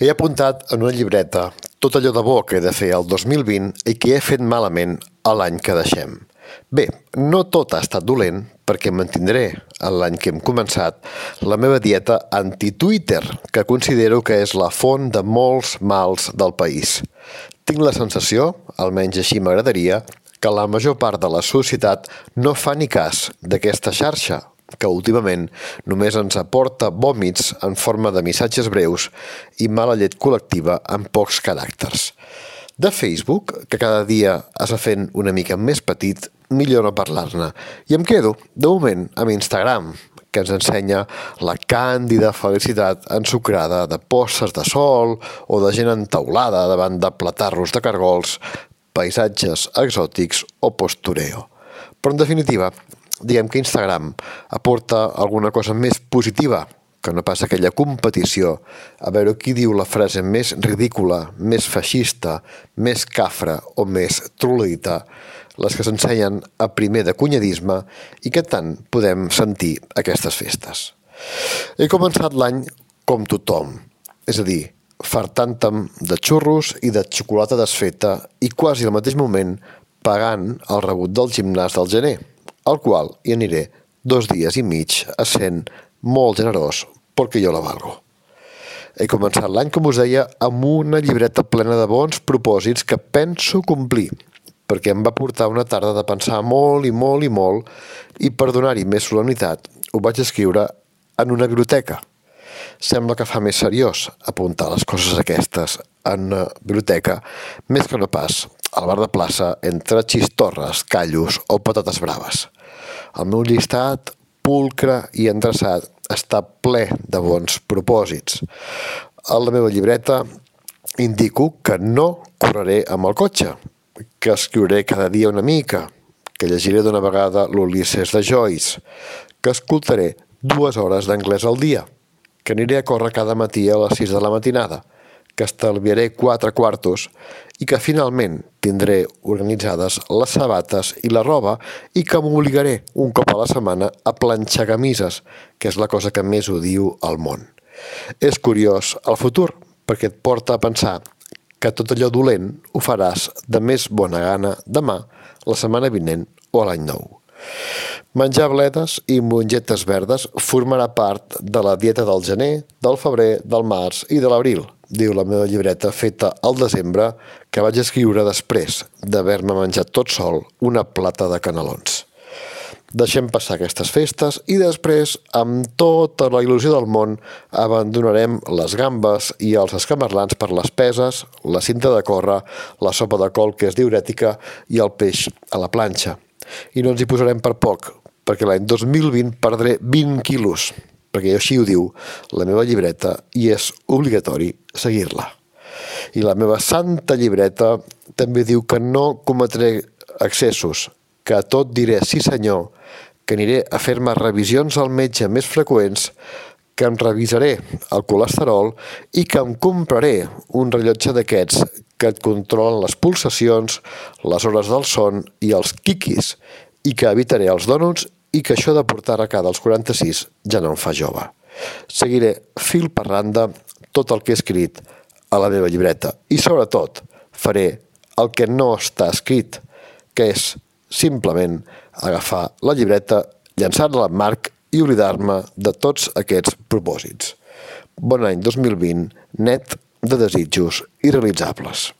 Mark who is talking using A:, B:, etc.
A: He apuntat en una llibreta tot allò de bo que he de fer el 2020 i que he fet malament l'any que deixem. Bé, no tot ha estat dolent, perquè mantindré l'any que hem començat la meva dieta anti-Twitter, que considero que és la font de molts mals del país. Tinc la sensació, almenys així m'agradaria, que la major part de la societat no fa ni cas d'aquesta xarxa, que últimament només ens aporta vòmits en forma de missatges breus i mala llet col·lectiva amb pocs caràcters. De Facebook, que cada dia es va fent una mica més petit, millor no parlar-ne. I em quedo, de moment, amb Instagram, que ens ensenya la càndida felicitat ensucrada de postes de sol o de gent entaulada davant de platarros de cargols, paisatges exòtics o postureo. Però, en definitiva, diguem que Instagram aporta alguna cosa més positiva que no pas aquella competició a veure qui diu la frase més ridícula, més feixista, més cafra o més troleïta, les que s'ensenyen a primer de cunyadisme i que tant podem sentir aquestes festes. He començat l'any com tothom, és a dir, fartant-me de xurros i de xocolata desfeta i quasi al mateix moment pagant el rebut del gimnàs del gener, al qual hi aniré 2 dies i mig essent molt generós perquè jo la valgo. He començat l'any, com us deia, amb una llibreta plena de bons propòsits que penso complir, perquè em va portar una tarda de pensar molt i molt i molt i per donar-hi més solemnitat ho vaig escriure en una biblioteca. Sembla que fa més seriós apuntar les coses aquestes en una biblioteca més que no pas al bar de plaça entre xistorres, callos o patates braves. El meu llistat, pulcre i endreçat, està ple de bons propòsits. A la meva llibreta indico que no correré amb el cotxe, que escriuré cada dia una mica, que llegiré d'una vegada l'Ulisses de Joyce, que escoltaré 2 hores d'anglès al dia, que aniré a córrer cada matí a les 6 de la matinada, que estalviaré 4 quartos i que finalment tindré organitzades les sabates i la roba i que m'obligaré un cop a la setmana a planxar camises, que és la cosa que més odio al món. És curiós el futur, perquè et porta a pensar que tot allò dolent ho faràs de més bona gana demà, la setmana vinent o a l'any nou. Menjar bledes i mongetes verdes formarà part de la dieta del gener, del febrer, del març i de l'abril, diu la meva llibreta feta al desembre que vaig escriure després d'haver-me menjat tot sol una plata de canelons. Deixem passar aquestes festes i després, amb tota la il·lusió del món, abandonarem les gambes i els escamarlans per les peses, la cinta de córrer, la sopa de col que és diürètica i el peix a la planxa. I no ens hi posarem per poc, perquè l'any 2020 perdré 20 quilos, perquè així ho diu la meva llibreta i és obligatori seguir-la. I la meva santa llibreta també diu que no cometré excessos, que a tot diré sí senyor, que aniré a fer-me revisions al metge més freqüents, que em revisaré el colesterol i que em compraré un rellotge d'aquests que et controlen les pulsacions, les hores del son i els quiquis, i que evitaré els dònuts i que això de portar arracada als 46 ja no em fa jove. Seguiré fil per randa tot el que he escrit a la meva llibreta i, sobretot, faré el que no està escrit, que és simplement agafar la llibreta, llançar-la al marc i oblidar-me de tots aquests propòsits. Bon any 2020, net de desitjos irrealitzables.